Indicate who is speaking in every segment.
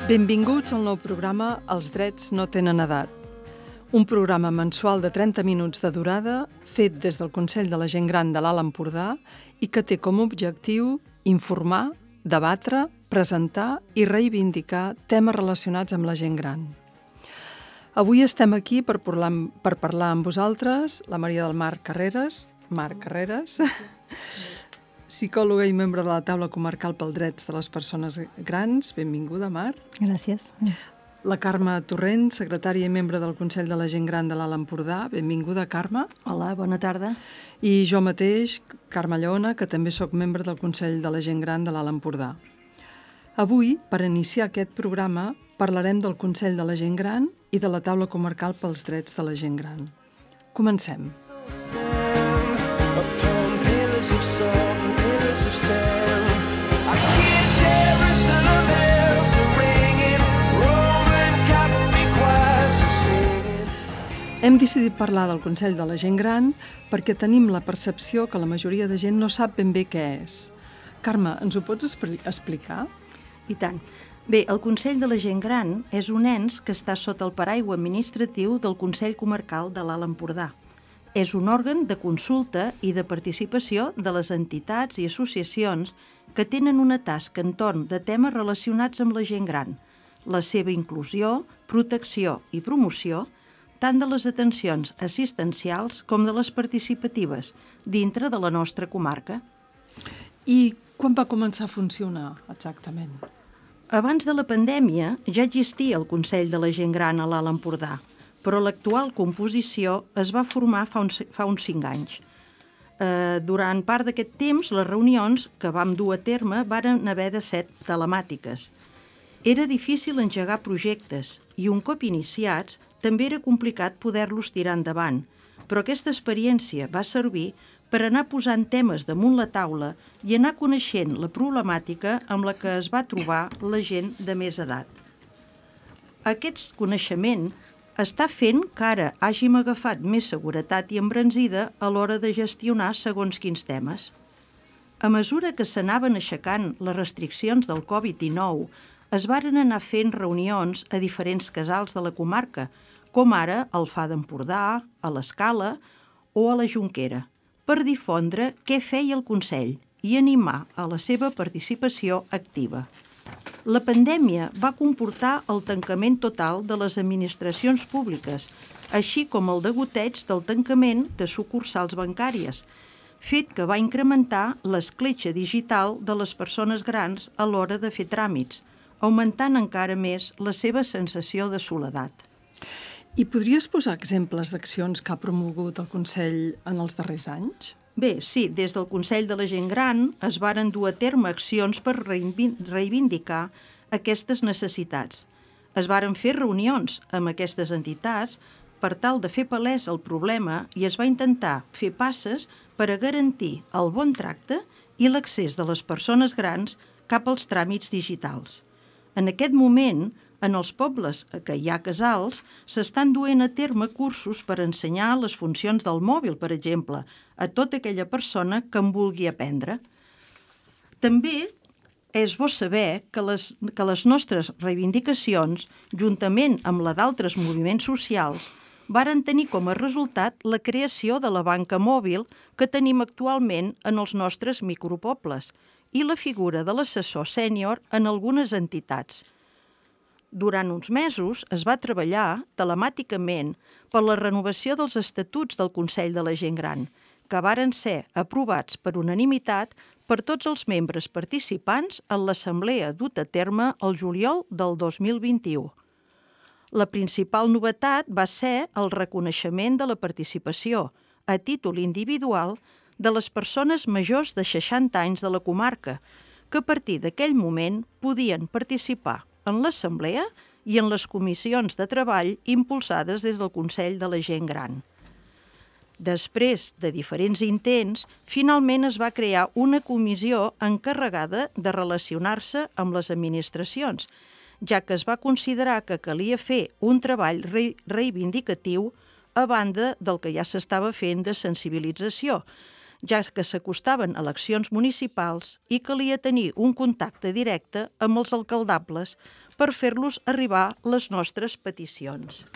Speaker 1: Benvinguts al nou programa Els drets no tenen edat. Un programa mensual de 30 minuts de durada fet des del Consell de la Gent Gran de l'Alt Empordà i que té com a objectiu informar, debatre, presentar i reivindicar temes relacionats amb la gent gran. Avui estem aquí per parlar amb vosaltres, la Maria del Marc Carreras, psicòloga i membre de la Taula Comarcal pels Drets de les Persones Grans. Benvinguda, Mar.
Speaker 2: Gràcies.
Speaker 1: La Carme Torrent, secretària i membre del Consell de la Gent Gran de l'Alt Empordà. Benvinguda, Carme.
Speaker 2: Hola, bona tarda.
Speaker 1: I jo mateix, Carme Lleona, que també sóc membre del Consell de la Gent Gran de l'Alt Empordà. Avui, per iniciar aquest programa, parlarem del Consell de la Gent Gran i de la Taula Comarcal pels Drets de la Gent Gran. Comencem. Hem decidit parlar del Consell de la Gent Gran perquè tenim la percepció que la majoria de gent no sap ben bé què és. Carme, ens ho pots explicar?
Speaker 2: I tant. Bé, el Consell de la Gent Gran és un ens que està sota el paraigua administratiu del Consell Comarcal de l'Alt Empordà. És un òrgan de consulta i de participació de les entitats i associacions que tenen una tasca entorn de temes relacionats amb la gent gran, la seva inclusió, protecció i promoció, tant de les atencions assistencials com de les participatives, dintre de la nostra comarca.
Speaker 1: I quan va començar a funcionar, exactament?
Speaker 2: Abans de la pandèmia ja existia el Consell de la Gent Gran a l'Alt Empordà, però l'actual composició es va formar fa uns 5 anys. Durant part d'aquest temps, les reunions que vam dur a terme varen haver de ser telemàtiques. Era difícil engegar projectes i un cop iniciats també era complicat poder-los tirar endavant, però aquesta experiència va servir per anar posant temes damunt la taula i anar coneixent la problemàtica amb la que es va trobar la gent de més edat. Aquest coneixement està fent que ara hàgim agafat més seguretat i embranzida a l'hora de gestionar segons quins temes. A mesura que s'anaven aixecant les restriccions del Covid-19, es varen anar fent reunions a diferents casals de la comarca, com ara al Far d'Empordà, a l'Escala o a la Jonquera, per difondre què feia el Consell i animar a la seva participació activa. La pandèmia va comportar el tancament total de les administracions públiques, així com el degoteig del tancament de sucursals bancàries, fet que va incrementar l'escletxa digital de les persones grans a l'hora de fer tràmits, augmentant encara més la seva sensació de soledat.
Speaker 1: I podries posar exemples d'accions que ha promogut el Consell en els darrers anys?
Speaker 2: Bé, sí, des del Consell de la Gent Gran es varen dur a terme accions per reivindicar aquestes necessitats. Es varen fer reunions amb aquestes entitats per tal de fer palès el problema i es va intentar fer passes per a garantir el bon tracte i l'accés de les persones grans cap als tràmits digitals. En aquest moment, en els pobles que hi ha casals, s'estan duent a terme cursos per ensenyar les funcions del mòbil, per exemple, a tota aquella persona que en vulgui aprendre. També és bo saber que les nostres reivindicacions, juntament amb la d'altres moviments socials, varen tenir com a resultat la creació de la banca mòbil que tenim actualment en els nostres micropobles i la figura de l'assessor sènior en algunes entitats. Durant uns mesos es va treballar telemàticament per la renovació dels estatuts del Consell de la Gent Gran, que varen ser aprovats per unanimitat per tots els membres participants en l'assemblea duta a terme el juliol del 2021. La principal novetat va ser el reconeixement de la participació, a títol individual, de les persones majors de 60 anys de la comarca, que a partir d'aquell moment podien participar en l'assemblea i en les comissions de treball impulsades des del Consell de la Gent Gran. Després de diferents intents, finalment es va crear una comissió encarregada de relacionar-se amb les administracions, ja que es va considerar que calia fer un treball reivindicatiu a banda del que ja s'estava fent de sensibilització, ja que s'acostaven eleccions municipals i calia tenir un contacte directe amb els alcaldables per fer-los arribar les nostres peticions.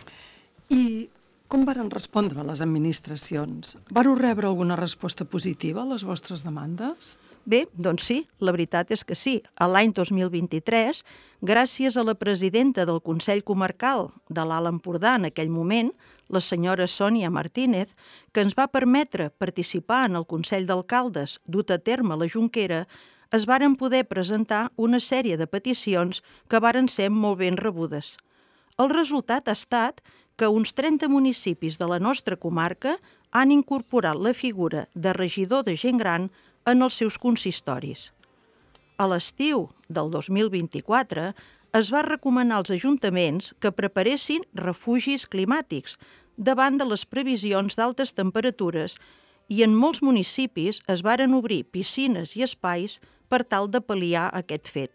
Speaker 1: I com varen respondre les administracions? Vareu rebre alguna resposta positiva a les vostres demandes?
Speaker 2: Bé, doncs sí, la veritat és que sí. A l'any 2023, gràcies a la presidenta del Consell Comarcal de l'Alt Empordà en aquell moment, la senyora Sònia Martínez, que ens va permetre participar en el Consell d'Alcaldes dut a terme a la Jonquera, es varen poder presentar una sèrie de peticions que varen ser molt ben rebudes. El resultat ha estat que uns 30 municipis de la nostra comarca han incorporat la figura de regidor de gent gran en els seus consistoris. A l'estiu del 2024 es va recomanar als ajuntaments que preparessin refugis climàtics davant de les previsions d'altes temperatures i en molts municipis es varen obrir piscines i espais per tal de pal·liar aquest fet.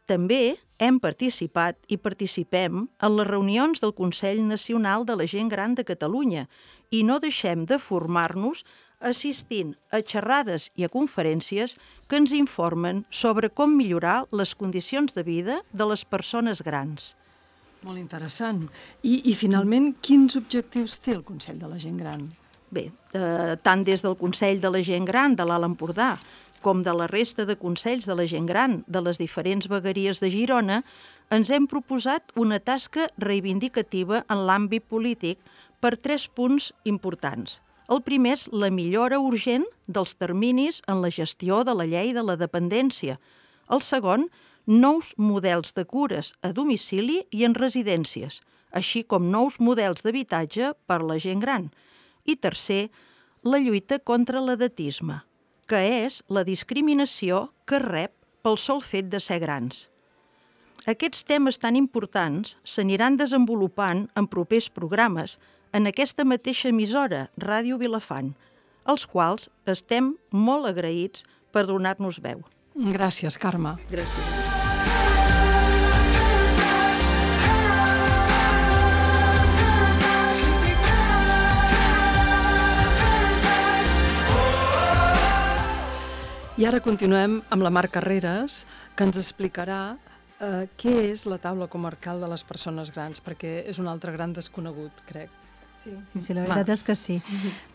Speaker 2: També hem participat i participem en les reunions del Consell Nacional de la Gent Gran de Catalunya i no deixem de formar-nos assistint a xerrades i a conferències que ens informen sobre com millorar les condicions de vida de les persones grans.
Speaker 1: Molt interessant. I finalment, quins objectius té el Consell de la Gent Gran?
Speaker 2: Bé, tant des del Consell de la Gent Gran de l'Alt Empordà com de la resta de consells de la gent gran de les diferents vegueries de Girona, ens hem proposat una tasca reivindicativa en l'àmbit polític per 3 punts importants. El primer és la millora urgent dels terminis en la gestió de la llei de la dependència. El segon, nous models de cures a domicili i en residències, així com nous models d'habitatge per a la gent gran. I tercer, la lluita contra l'edatisme, que és la discriminació que rep pel sol fet de ser grans. Aquests temes tan importants s'aniran desenvolupant en propers programes en aquesta mateixa emissora, Ràdio Vilafant, als quals estem molt agraïts per donar-nos veu.
Speaker 1: Gràcies, Carme.
Speaker 2: Gràcies.
Speaker 1: I ara continuem amb la Mar Carreras, que ens explicarà què és la taula comarcal de les persones grans, perquè és un altre gran desconegut, crec.
Speaker 3: Sí, la veritat és que sí.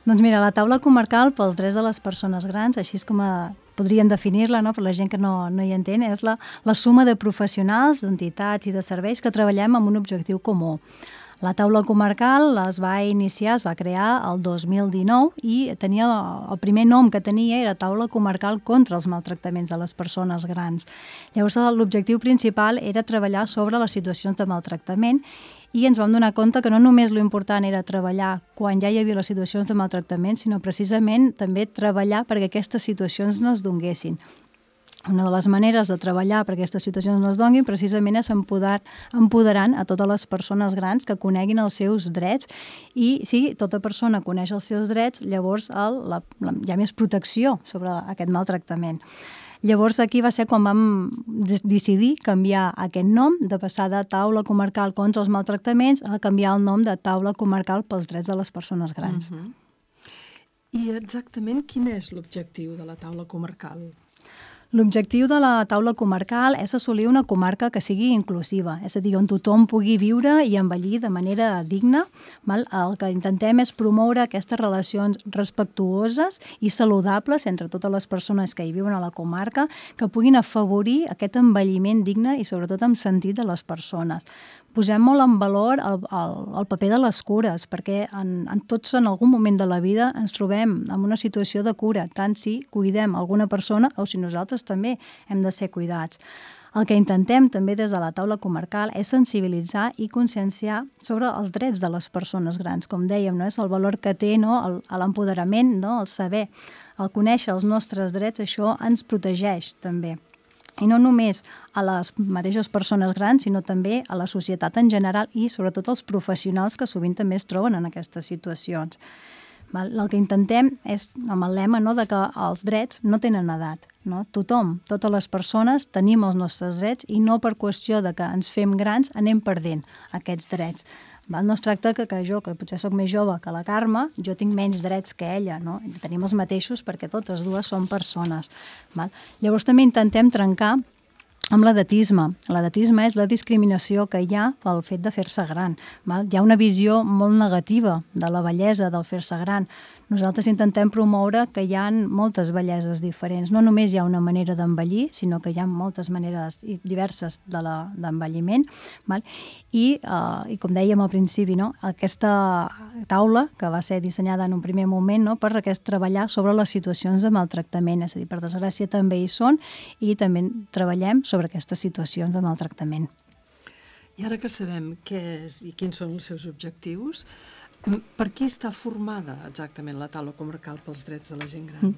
Speaker 3: Doncs mira, la taula comarcal pels drets de les persones grans, així és com podríem definir-la, no? Per la gent que no hi entén, és la suma de professionals, d'entitats i de serveis que treballem amb un objectiu comú. La taula comarcal es va crear el 2019 i tenia el primer nom que tenia era Taula Comarcal contra els maltractaments de les persones grans. Llavors l'objectiu principal era treballar sobre les situacions de maltractament i ens vam donar compte que no només l'important era treballar quan ja hi havia les situacions de maltractament, sinó precisament també treballar perquè aquestes situacions no es donguessin. Una de les maneres de treballar perquè aquestes situacions no es donguin precisament és empoderant a totes les persones grans que coneguin els seus drets i si tota persona coneix els seus drets, llavors hi ha més protecció sobre aquest maltractament. Llavors aquí va ser quan vam decidir canviar aquest nom, de passar de Taula Comarcal contra els maltractaments a canviar el nom de Taula Comarcal pels drets de les persones grans.
Speaker 1: I exactament quin és l'objectiu de la taula comarcal?
Speaker 3: L'objectiu de la taula comarcal és assolir una comarca que sigui inclusiva, és a dir, on tothom pugui viure i envellir de manera digna. El que intentem és promoure aquestes relacions respectuoses i saludables entre totes les persones que hi viuen a la comarca, que puguin afavorir aquest envelliment digne i sobretot amb sentit de les persones. Posem molt en valor el paper de les cures, perquè tots en algun moment de la vida ens trobem en una situació de cura, tant si cuidem alguna persona o si nosaltres també hem de ser cuidats. El que intentem també des de la taula comarcal és sensibilitzar i conscienciar sobre els drets de les persones grans. Com dèiem, no? És el valor que té l'empoderament, no? El saber, el conèixer els nostres drets, això ens protegeix també. I no només a les mateixes persones grans, sinó també a la societat en general i sobretot als professionals que sovint també es troben en aquestes situacions. El que intentem és, amb el lema, de que els drets no tenen edat. Tothom, totes les persones tenim els nostres drets i no per qüestió de que ens fem grans anem perdent aquests drets. No es tracta que jo, que potser soc més jove que la Carme, jo tinc menys drets que ella, no? Tenim els mateixos perquè totes dues són persones. Llavors també intentem trencar amb l'edatisme. L'edatisme és la discriminació que hi ha pel fet de fer-se gran. Val? Hi ha una visió molt negativa de la bellesa del fer-se gran. Nosaltres intentem promoure que hi ha moltes belleses diferents. No només hi ha una manera d'envellir, sinó que hi ha moltes maneres diverses d'envelliment. I com dèiem al principi, no? Aquesta taula, que va ser dissenyada en un primer moment, no? Per treballar sobre les situacions de maltractament. És a dir, per desgràcia també hi són i també treballem sobre aquestes situacions de maltractament.
Speaker 1: I ara que sabem què és i quins són els seus objectius, per qui està formada exactament la taula comarcal pels drets de la gent gran?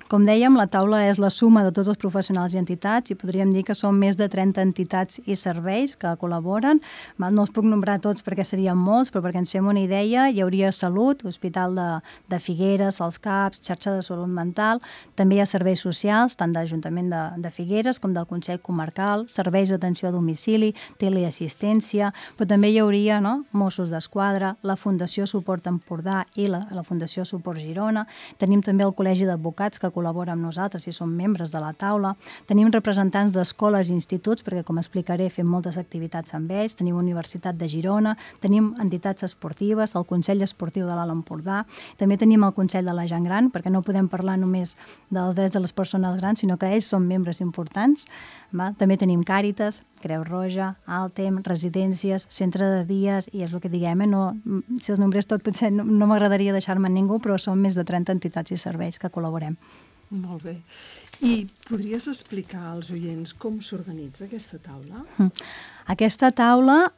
Speaker 3: Com dèiem, la taula és la suma de tots els professionals i entitats i podríem dir que són més de 30 entitats i serveis que col·laboren. No els puc nombrar tots perquè serien molts, però perquè ens fem una idea, hi hauria Salut, Hospital de Figueres, els CAPs, Xarxa de Salut Mental, també hi ha serveis socials, tant de l'Ajuntament de Figueres com del Consell Comarcal, serveis d'atenció a domicili, teleassistència, però també hi hauria Mossos d'Esquadra, la Fundació Suport Empordà i la Fundació Suport Girona. Tenim també el Col·legi d'Advocats que col·labora amb nosaltres i som membres de la taula. Tenim representants d'escoles i instituts, perquè, com explicaré, fem moltes activitats amb ells. Tenim Universitat de Girona, tenim entitats esportives, el Consell Esportiu de l'Alt Empordà, també tenim el Consell de la Gent Gran, perquè no podem parlar només dels drets de les persones grans, sinó que ells són membres importants. També tenim Càritas, Creu Roja, Altem, residències, centre de dies, i és el que diguem, si els nombrés tot potser no m'agradaria deixar-me ningú, però són més de 30 entitats i serveis que col·laborem.
Speaker 1: Molt bé. I podries explicar als oients com s'organitza aquesta taula?
Speaker 3: Aquesta taula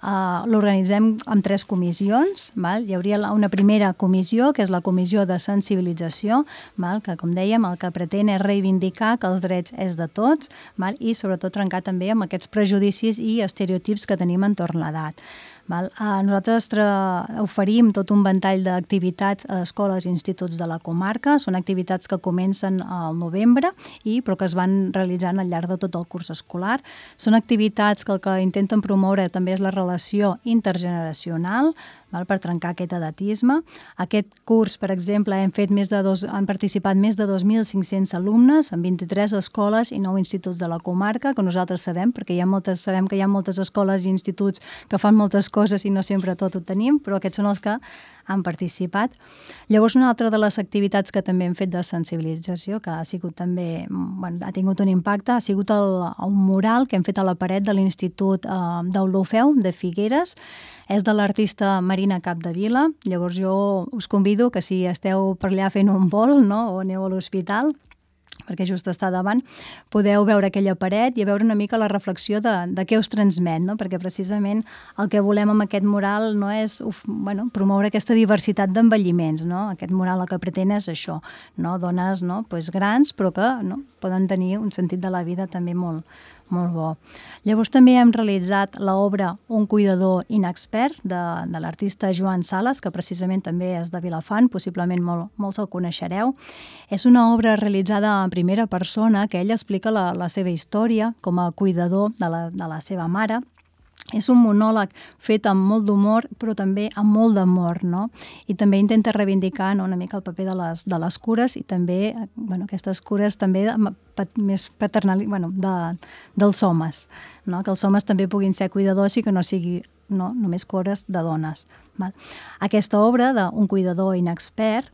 Speaker 3: l'organitzem amb 3 comissions. Hi hauria una primera comissió, que és la comissió de sensibilització, que, com dèiem, el que pretén és reivindicar que els drets és de tots i, sobretot, trencar també amb aquests prejudicis i estereotips que tenim entorn l'edat. Nosaltres oferim tot un ventall d'activitats a escoles i instituts de la comarca. Són activitats que comencen al novembre, però que es van realitzant al llarg de tot el curs escolar. Són activitats que el que intenten promoure també és la relació intergeneracional, per trencar aquest edatisme. Aquest curs, per exemple, han participat més de 2.500 alumnes en 23 escoles i 9 instituts de la comarca, que nosaltres sabem, perquè sabem que hi ha moltes escoles i instituts que fan moltes coses i no sempre tot ho tenim, però aquests són els que han participat. Llavors, una altra de les activitats que també hem fet de sensibilització, que ha sigut també, ha tingut un impacte, ha sigut un mural que hem fet a la paret de l'Institut d'Olofeu de Figueres. És de l'artista Marina Capdevila. Llavors jo us convido que si esteu per allà fent un vol o aneu a l'hospital, perquè just està davant, podeu veure aquella paret i veure una mica la reflexió de què us transmet, perquè precisament el que volem amb aquest mural no és promoure aquesta diversitat d'envelliments. Aquest mural el que pretén és això, dones grans però que poden tenir un sentit de la vida també molt bo. Llavors també hem realitzat l'obra Un cuidador inexpert de l'artista Joan Sales, que precisament també és de Vilafant, possiblement molts el coneixereu. És una obra realitzada en primera persona que ell explica la seva història com a cuidador de la seva mare. És un monòleg fet amb molt d'humor, però també amb molt d'amor, I també intenta reivindicar una mica el paper de les cures i també aquestes cures també més paternals, dels homes, que els homes també puguin ser cuidadors i que no sigui només cures de dones. Aquesta obra d'un cuidador inexpert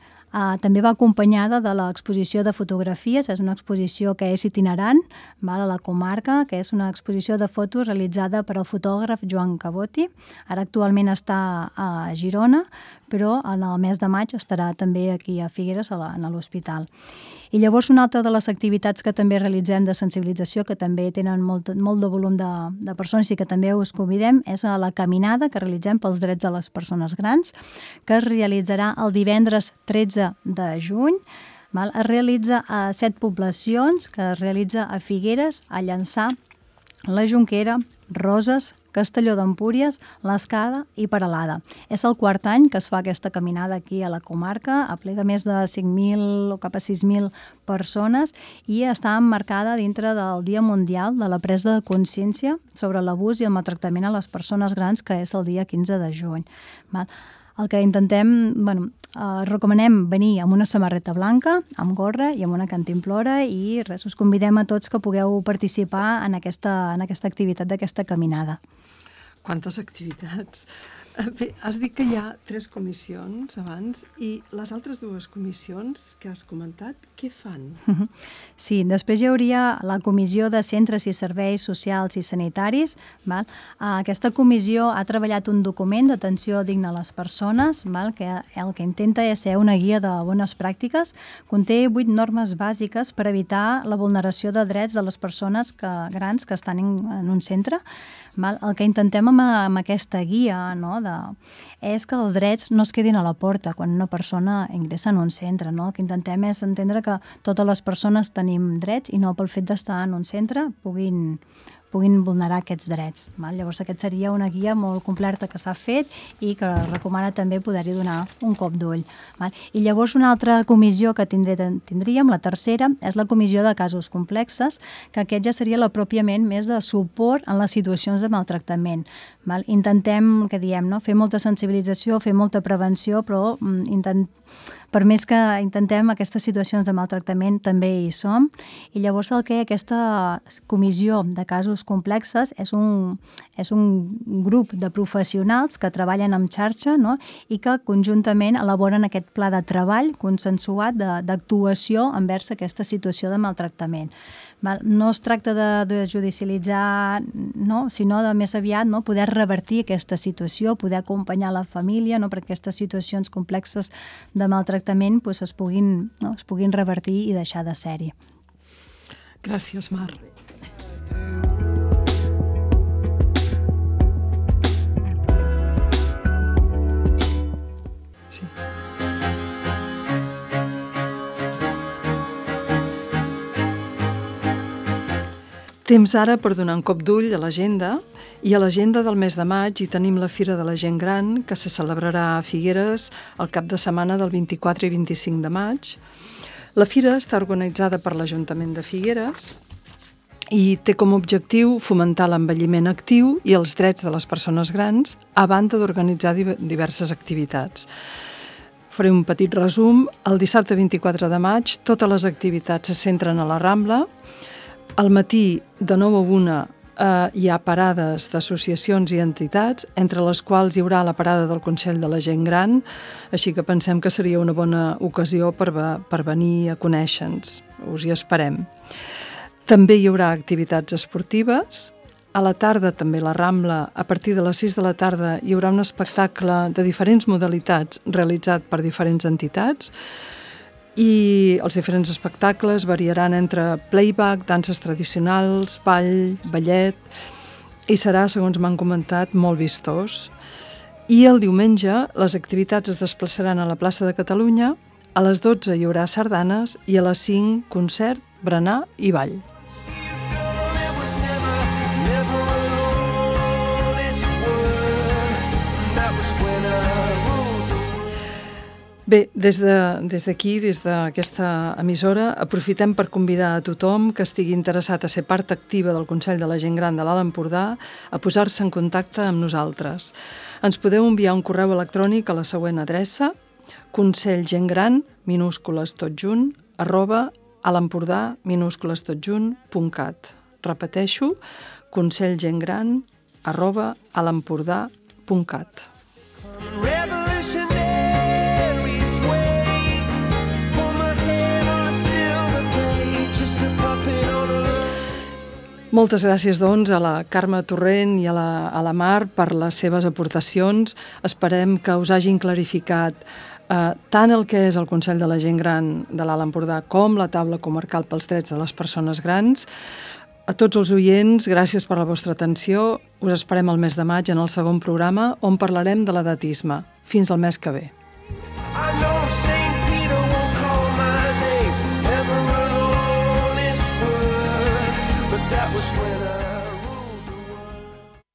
Speaker 3: també va acompanyada de l'exposició de fotografies. És una exposició que és itinerant a la comarca, que és una exposició de fotos realitzada per el fotògraf Joan Caboti. Ara actualment està a Girona, però en el mes de maig estarà també aquí a Figueres, a l'hospital. I llavors una altra de les activitats que també realitzem de sensibilització, que també tenen molt de volum de persones i que també us convidem, és la caminada que realitzem pels drets de les persones grans, que es realitzarà el divendres 13 de juny. Es realitza a 7 poblacions, que es realitza a Figueres, a Llançà, la Jonquera, Roses, Castelló d'Empúries, l'Escala i Peralada. És el 4è any que es fa aquesta caminada aquí a la comarca, aplega més de 5.000 o cap a 6.000 persones i està emmarcada dintre del Dia Mundial de la Presa de Consciència sobre l'abús i el maltractament a les persones grans, que és el dia 15 de juny. el que intentem, recomanem venir amb una samarreta blanca, amb gorra i amb una cantimplora i res, us convidem a tots que pugueu participar en aquesta activitat d'aquesta caminada.
Speaker 1: Quantes activitats! Bé, has dit que hi ha 3 comissions abans i les altres 2 comissions que has comentat, què fan?
Speaker 3: Sí, després hi hauria la Comissió de Centres i Serveis Socials i Sanitaris. Val? Aquesta comissió ha treballat un document d'atenció digna a les persones, val? Que el que intenta és ser una guia de bones pràctiques. Conté 8 normes bàsiques per evitar la vulneració de drets de les persones grans que estan en un centre. Val? El que intentem amb aquesta guia, no, és que els drets no es quedin a la porta quan una persona ingressa en un centre. No? El que intentem és entendre que totes les persones tenim drets i no pel fet d'estar en un centre puguin vulnerar aquests drets. Val? Llavors aquest seria una guia molt completa que s'ha fet i que recomana també poder-hi donar un cop d'ull. Val? I llavors una altra comissió que tindríem, la tercera, és la comissió de casos complexes, que aquest ja seria la pròpiament més de suport en les situacions de maltractament. Val? Intentem, que diem, no? Fer molta sensibilització, fer molta prevenció, però per més que intentem aquestes situacions de maltractament també hi som, i llavors el que aquesta comissió de casos complexes és un grup de professionals que treballen en xarxa, no? I que conjuntament elaboren aquest pla de treball consensuat d'actuació envers aquesta situació de maltractament. No es tracta de judicialitzar, no? Sinó de més aviat poder revertir aquesta situació, poder acompanyar la família perquè aquestes situacions complexes de maltractament es puguin revertir i deixar de ser-hi.
Speaker 1: Gràcies, Mar. Sí. Temps ara per donar un cop d'ull a l'agenda, i a l'agenda del mes de maig hi tenim la Fira de la Gent Gran, que se celebrarà a Figueres el cap de setmana del 24 i 25 de maig. La Fira està organitzada per l'Ajuntament de Figueres i té com a objectiu fomentar l'envelliment actiu i els drets de les persones grans, a banda d'organitzar diverses activitats. Faré un petit resum. El dissabte 24 de maig totes les activitats se centren a la Rambla. Al matí, de 9 a 1, hi ha parades d'associacions i entitats, entre les quals hi haurà la parada del Consell de la Gent Gran, així que pensem que seria una bona ocasió per venir a conèixer-nos. Us hi esperem. També hi haurà activitats esportives. A la tarda, també a la Rambla, a partir de les 6 de la tarda, hi haurà un espectacle de diferents modalitats realitzat per diferents entitats, i els diferents espectacles variaran entre playback, danses tradicionals, ball, ballet, i serà, segons m'han comentat, molt vistós. I el diumenge les activitats es desplaçaran a la plaça de Catalunya, a les 12 hi haurà sardanes i a les 5 concert, berenar i ball. Bé, des d'aquí, des d'aquesta emissora, aprofitem per convidar a tothom que estigui interessat a ser part activa del Consell de la Gent Gran de l'Alt Empordà a posar-se en contacte amb nosaltres. Ens podeu enviar un correu electrònic a la següent adreça: consellgentgran, minúscules tot junt, @alempordà, minúscules tot junt.cat. Repeteixo, consellgentgran, @alempordà.cat. Moltes gràcies, doncs, a la Carme Torrent i a la Mar per les seves aportacions. Esperem que us hagin clarificat tant el que és el Consell de la Gent Gran de l'Alt Empordà com la Taula Comarcal pels Drets de les Persones Grans. A tots els oients, gràcies per la vostra atenció. Us esperem el mes de maig en el segon programa, on parlarem de l'edatisme. Fins al mes que ve.